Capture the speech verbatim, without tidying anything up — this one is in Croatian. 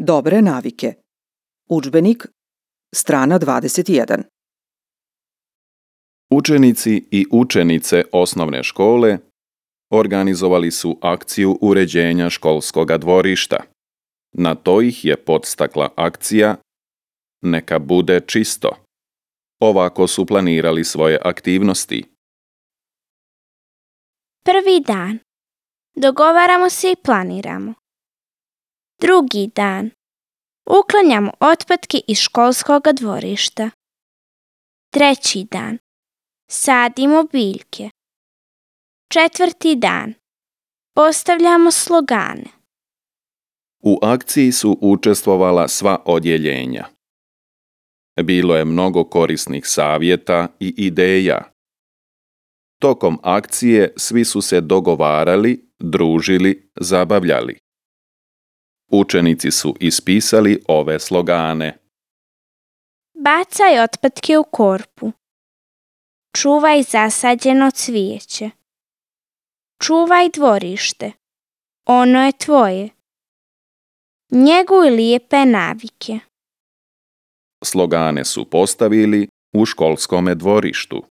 Dobre navike. Udžbenik, strana dvadeset jedan. Učenici i učenice osnovne škole organizovali su akciju uređenja školskoga dvorišta. Na to ih je podstakla akcija Neka bude čisto. Ovako su planirali svoje aktivnosti. Prvi dan. Dogovaramo se i planiramo. Drugi dan. Uklanjamo otpadke iz školskoga dvorišta. Treći dan. Sadimo biljke. Četvrti dan. Postavljamo slogane. U akciji su učestvovala sva odjeljenja. Bilo je mnogo korisnih savjeta i ideja. Tokom akcije svi su se dogovarali, družili, zabavljali. Učenici su ispisali ove slogane. Bacaj otpadke u korpu. Čuvaj zasađeno cvijeće. Čuvaj dvorište. Ono je tvoje. Njeguj lijepe navike. Slogane su postavili u školskome dvorištu.